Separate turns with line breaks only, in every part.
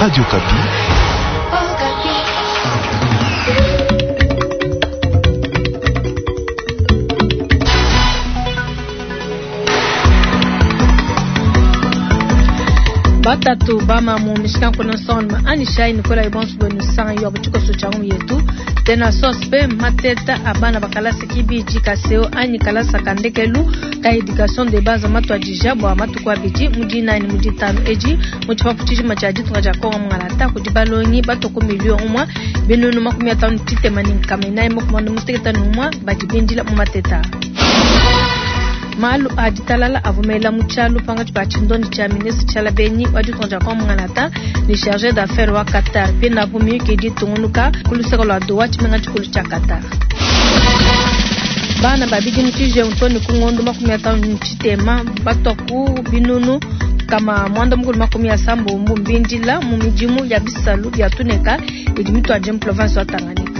Radio Okapi.
Batatu bamamu mishikanku na nsongaluma anyishayi ne kuelayi bonso buenu sanga yo tshikoso tshia ngumu yetu tena sospe mateta a bana ba kalasa kibidi ka seo anyi kalasa ka ndekelu ka education de base matuadija bua matuku abidi mu dinayi ne mu ditanu edi mu tshipapu tshijima tshia ditunga dia Kongo mungalata kudi balongi batue ku miliyo umue binunu 53 ne 451 badi bindila mu mateta. Malu a ditalala avua mela mu tshialu pankatshi pa tshindondi tshia ministre Tshiala Benyi wa ditunga dia Kongo mungalata ne chargé d'affaires wa Qatar. Pinapu miyuki idi itungunuka ku luseke lua Doha, tshimenga tshikulu tshia Qatar. Bana ba bidimu tshijengu too ne ku ngondo 53 batua ku binunu 380 mbindila mu midimu ya bisalu bia tuneka idi mituadije mu province wa Tanganyika.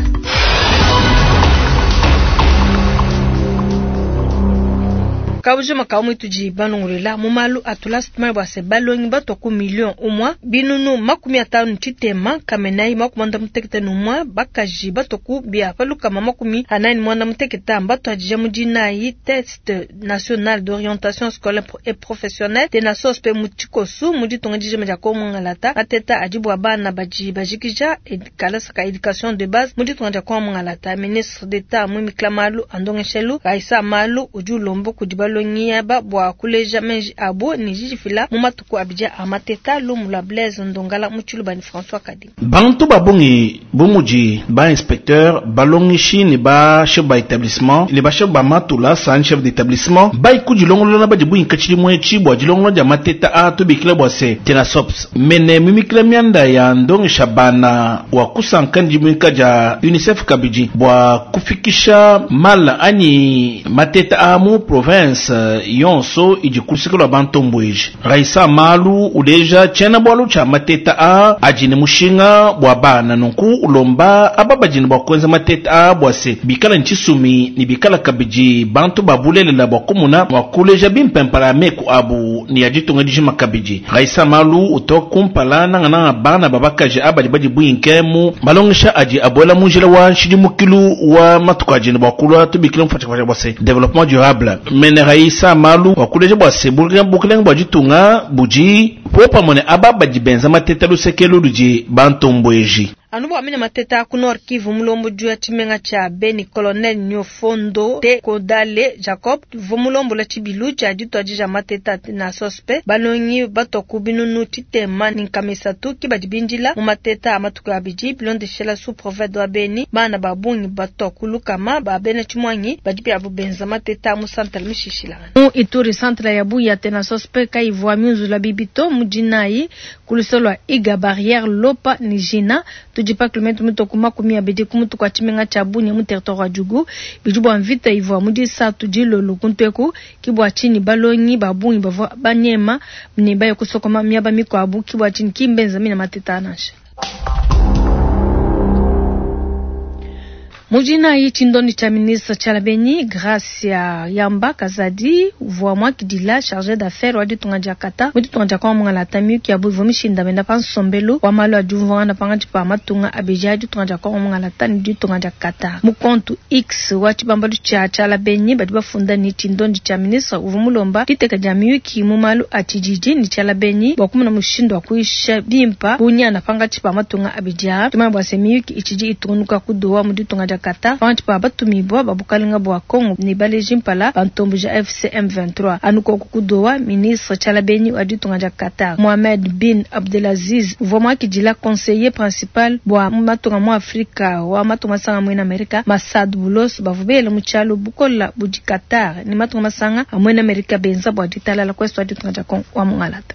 Kabujima ka mwitudi banongolola mu malu a tulasa tumanya bua se balongi batua ku miliyo umua binunu 53 451 bakaji batua ku bia pa 448 mbatuadija mu dinayi test national d'orientation scolaire et professionnelle TENASOSP mu tshikosu mu ditunga dijima dia Kongo Mungalata. Mateta adi bua bana badi bajikija kalasa ka education de base mu ditunga dia Kongo Mungalata. Ministre d'Etat muimikila malu a ndongeshelu Raissa Malu udi ulomba kudi balongi aba bua kuleja meji abu ne didifila mu matuku abidi a mateta. Lumu lua Blaise Ndongala mu Tshiluba ne François Kadi.
Bantu ba bungi bu mudi ba inspecteur, balongeshi ne ba chef ba etablissement ne ba chef ba matulasa anyi chef d'etablissement bayi kudilongolola badi buinka tshidimu etshi bua dilongolola dia mateta a tubikila bua se Tenasops mene mimikila mianda ya ndongesha bana wa kusanka ne dimuika dia UNICEF kabidi bua kufikisha mala anyi mateta a mu province yonso idi ku luseke lua bantombueji. Raissa Malu uleja tshiena-bualu tshia mateta a adi ne mushinga bua bana, nunku ulomba aba badi ne bua kuenza mateta a bua se bikala ne tshisumi ne bikala kabidi bantu ba bulelela bua kumona mua kuleja bimpe mpala ya meku abu ne ya ditunga dijima kabidi. Raissa Malu utoka kumpala nangananga bana ba bakaji aba badi badibuinke mu malongesha adi abuela mu njila wa nshidimukilu wa matuku adi ne bua kulua tubikila mufatshafasha bua se developpement durable. Mene Raissa Malu wakuleja bua se bukelenge bua ditunga budi popamue ne aba badi benza mateta luseke ludi bantombueji.
Anu bua mine mateta ku Nord Kivu, mulombodi wa tshimenga tshia Beni Colonel Nyofondo Te Kodale Jacob uvua mulombola tshibilu tshia dituadija mateta na sospe balongi batua ku binunu 303 ki badi bindila mu mateta a matuku abidi bilondeshela sous prophète wa Beni. Bana ba bungi batua ku lukama ba bena tshimuangi badi biabu benza mateta mu santre mishishilangana mu Ituri. Santre ya Buya tena sospe kayivua miunzula bibito mu dinayi ku luseke lua Iga Barrière Lopa ne Jina tudi pa kilometre mitue ku 20 ku mutu kua tshimenga tshia Bunia mu territoire wa Djugu. Bidi bua mvita ivua mu disatu dilolo kuntu eku ki bua tshinyi balongi ba bungi bavua banyema ne baye kusokoma miaba mikuabu ki bua tshinyi ki mbenza mina mateta nansha. Mu dinayi tshindondi tshia ministre Tshiala Benyi Gracia Yamba Kazadi uvua muakidila chargé d'affaires wa ditunga dia Qatar mu ditunga dia Kongo mungalata. Miyuki yabu ivua mishindamena pa nsombelu wa malu a diumvuangana pankatshi pa matunga abidi a ditunga dia Kongo mungalata ne ditunga dia Qatar. Mu compte X wa tshibambalu tshia Tshiala Benyi badi bafunda ne tshindondi tshia ministre uvua mulomba diteka dia miyuki mu malu a tshididi ne Tshiala Benyi bua kumona mushindu wa kuyisha bimpa bunyana pankatshi pa matunga abidi aa. Tumanya bua se miyuki itshidi itungunuka ku Doha mu ditunga dia Qatar pankatshi pa batumibua ba bukalenga bua Kongo ne baleji mpala ba ntomboji AFC M23. Anu koku ku Doha, ministre Tshiala Benyi wa ditunga dia Qatar Mohamed bin Abdelaziz uvua muakidila conseiller principal bua matunga mu Afrika wa matunga masanga muena Amerika Massad Boulos bavua bela mu tshialu bukola budi Qatar ne matunga masanga a muena Amerika benza bua ditalala ku est wa ditunga dia Kongo wa mungalata.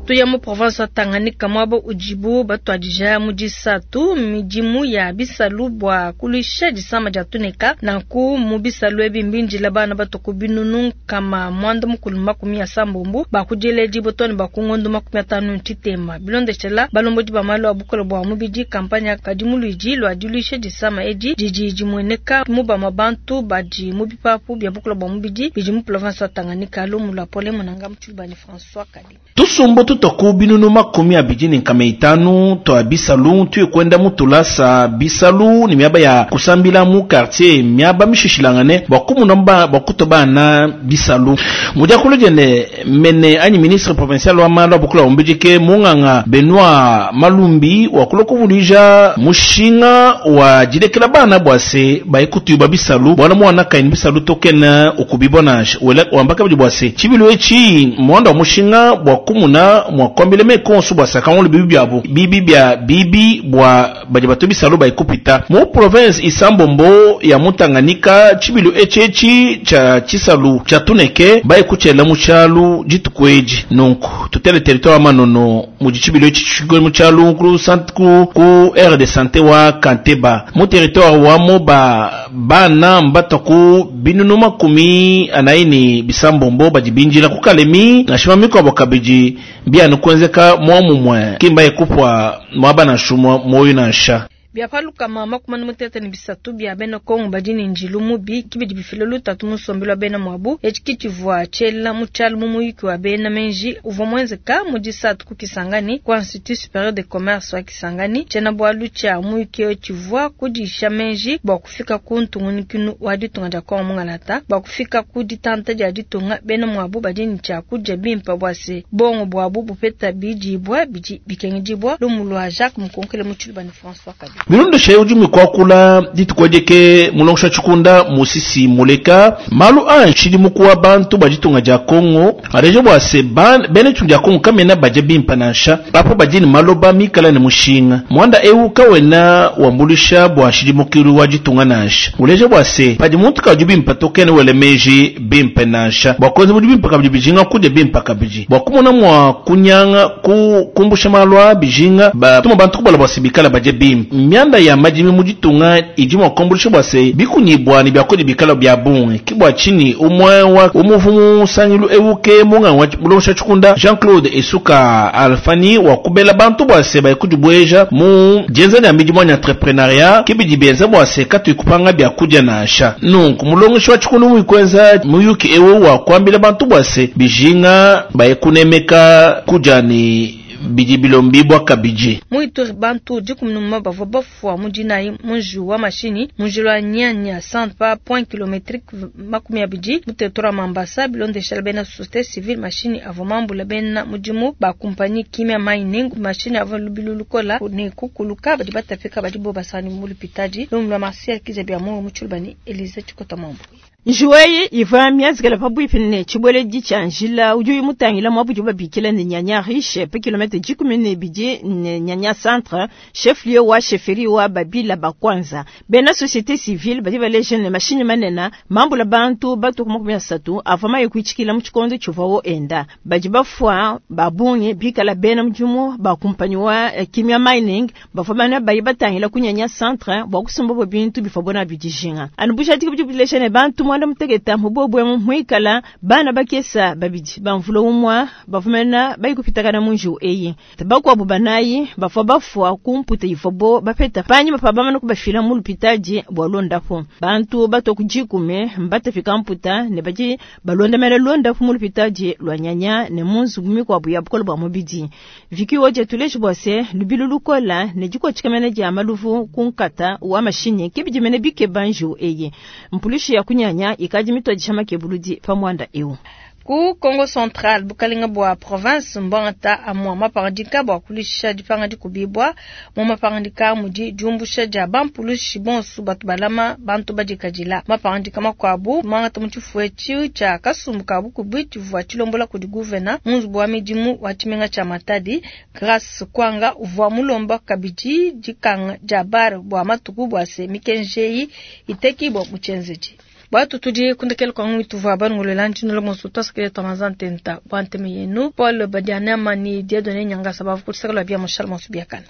Tuya mu province wa Tanganyika muaba udibu batuadija mu disatu midimu ya bisalu bua kuluisha disama dia tuneka. Nanku mu bisalu ebi mbindila bana batua ku binunu 380 ba ku diledibua too ne ba ku ngondo 53. Bilondeshela balombodi ba malu a bukole bua mubidi, kampanya kadi mu luidi lua diluisha disama edi didi dimueneka mu bamue bantu badi mu bipapu bia bukole bua mubidi bidi mu province wa Tanganyika. Lumu lua Pole Munanga mu Tshiluba ne François Kadima.
Tusumbu tutua ku binunu 250 tua bisalu tuye kuenda mu tulasa bisalu ne miaba ya kusambila mu quartier miaba mishishilangane bua kumuna bua kutua bana bisalu. Mu diakulu diende mene anyi ministre provincial wa malu a bukole bua mubidi ke munganga Benoit Malumbi wakulua kuvuluija mushinga wa dilekela bana bua se baye kutuyuba bisalu bualu muana kayi ne bisalu to kena ukubibua nansha. Wela wamba kabidi bua se tshibilu etshi mmuanda wa mushinga bua kumuna mua kuambila meku onso bua se akangula bibi biabu bibi bia bibi bua badi batue bisalu baye kupita mu province isambombo ya mu Tanganyika. Tshibilu etshi etshi tshia tshisalu tshia tuneke baye kutshiela mu tshialu dituku edi. Nunku tutele territoire wa Manono mudi tshibilu etshi tshikale mu tshialu ku centre ku, ku aire de sante wa Kanteba mu territoire wa Moba. Bana mbatua ku binunu 46 badi bindila ku Kalemi nansha mikuabo kabidi mbianu kuenzeka muomumue, ki mbaye kupua muaba nansha umue muoyo nansha.
Bia pa 33 bia bena Kongo badi ne njilu mubi ke bidi bifila lutatu mu nsombelu wa bena muabu. Etshi ke tshivua tshiela mu tshialu mu muyuki wa bena menji uvua muenzeka mu disatu ku Kisangani ku Institut Superieur de Commerce wa Kisangani. Tshiena-bualu tshia muyuki eu tshivua kudisha menji bua kufika ku ntungunikinu wa ditunga dia Kongo mungalata. Bua kufika ku ditanta dia ditunga, bena muabu badi ne tshia kudia bimpe bua se bongo buabu bupeta bidibua bidi bikengedibua. Lumu lua Jacques Mukonkele mu Tshiluba ne François Kabi.
Bilondeshe udi mukuakula dituku edi ke mulongesha tshikunda Musisi Muleka malu a nshidimuku wa bantu ba ditunga dia Kongo aleja bua se bena ditunga dia Kongo kamena badia bimpe nansha apo badi ne maloba mikala ne mushinga. Muanda eu kawena wambuluisha bua nshidimukilu wa ditunga nansha. Uleja bua se padi muntu kadi bimpe to kena wela meji bimpe nansha bua kuenza budi bimpe kabidi bijinga kudia bimpe kabidi bua kumona mua kunyanga ku kumbusha malu a bijinga batuma bantu kubala bua se bikala badia bimpe. Mianda ya madimi mu ditunga idi mua kuambuluisha bua se bikunyibua ne biakudia bikala bia bungi. Ke bua tshinyi umue wa umuvu mu nsangilu eu ke munganga wa mulongesha tshikunda Jean-Claude Esuka Alfani wa kubela bantu bua se baye kudibueja mu dienza dia midimu anyi entrepreneuriat ke bidi bienza bua se katuyi kupanga biakudia nansha. Nunku mulongeshi wa tshikunda muyi kuenza muyuki eu wa kuambila bantu bua se bijinga baye kunemeka kudia ne bidi bilombibua kabidi.
Mu Ituri bantu 11 bavua bafua mu dinayi mu njiwu wa mashinyi mu njila wa Nyanya centre pa point kilometrique 20 mu territoire wa Mambasa. Bilondeshela bena société civile, mashinyi avua mambula bena mudimu ba kumpanyi Kimia Mining. Mashinyi avua lubilu lukola ne kukuluka, badi batapika badi bo basani mu lupitadi. Lumu lua Martial Kiza bia mu Tshiluba ne Elise Tshikota Mambu.
Njiwu eyi ivua mienzekele pabuipi ne tshibueledi tshia njila udi mutangila muaba udibu babikila ne Nyanya Riche pa kilomètre 12 ne Nyanya Centre, chef lieu wa chefferie wa Babila Bakwanza. Bena société civile badi baleja ne mashinyi manene mambula bantu batu 30 avua maye kuitshikila mu tshikondo tshivuawo enda. Badi bafua ba bungi bikala bena mudimu ba kumpanyi wa Kimia Mining bavua bana baye batangila ku Nyanya Centre bua kusumba bintu bivua nabi dijinga. Anu bujadiki budi buleja ne bantu 90 mu bobwe muikala bana bakesa babidi bamvula umwa bavumena bayikupitakana mu njiwu eyi. Bakuabu banayi bavua bafua ku mputa ivuabo bapeta panyima pa bamana kubafila mu lupitadi bua londapo. Bantu batua ku 10 mbatafika mputa ne badi balondamela londapo mu lupitadi lua Nyanya ne mu nzubu mikuabu ya bukole bua mubidi. Viki woje tuleji bua se lubilu lukola ne dikotshikamena dia maluvu ku nkata wa mashinyi ke bidi mene bikeba njiwu eyi. Mpulushi ya kunyanya ikadi mitwadisha makebuludi pa muanda eu.
Ku Kongo Central bukalenga bua province mbwangata amua mapangadika bua kulisha dipanga dikubibua. Mu mapangadika mudi diumbusha dia bampulushi bonso batu balama bantu badikadila. Mapangadika makuabu mangata mu tshifu etshi tshia kasumbu ka bukubi tshivua tshilombola kudi gouverneur mu nzubu wa midimu wa tshimenga tshia Matadi. Grace Kwanga uvua mulomba kabidi dikanga dia bar bua matuku bua se mikenji eyi itekibua mu tshienzedi. Bwatu tudi kundekela kwa ngwi tuvua banungulwela ntshinola monso twasakile twa mazantenta bwa nteme yenu Paul Badianama ni Dieudonné Nyangasa bavu kutisakala bia mushala monso biakana.